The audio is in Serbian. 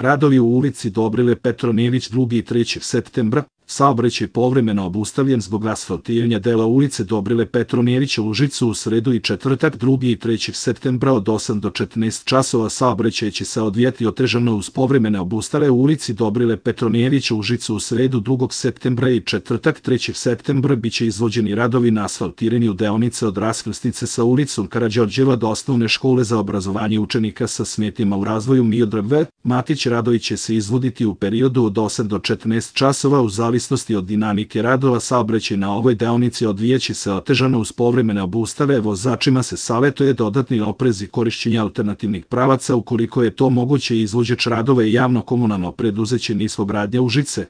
Radovi u ulici Dobrile Petronijević 2. i 3. septembra. Saobraćaj povremeno obustavljen zbog asfaltiranja dela ulice Dobrile Petronijevića u Užicu u sredu i četvrtak 2. i 3. septembra od 8 do 14 časova. Saobraćaj će se odvijati otežano uz povremene obustave u ulici Dobrile Petronijevića u Užicu u sredu 2. septembra i četvrtak 3. septembra biće izvođeni radovi na asfaltiranju deonice od raskrsnice sa ulicom Karađorđeva do osnovne škole za obrazovanje učenika sa smetnjama u razvoju Miodrag V. Matić. Radovi će se izvoditi u periodu od 8 do 14 časova u zavisnosti od dinamike radova. Saobraćaj na ovoj deonici odvijaće se otežano uz povremene obustave. Vozačima se savetuje dodatni oprez i korišćenje alternativnih pravaca ukoliko je to moguće. Izvođač radova i javno komunalno preduzeće Niskogradnja Užice.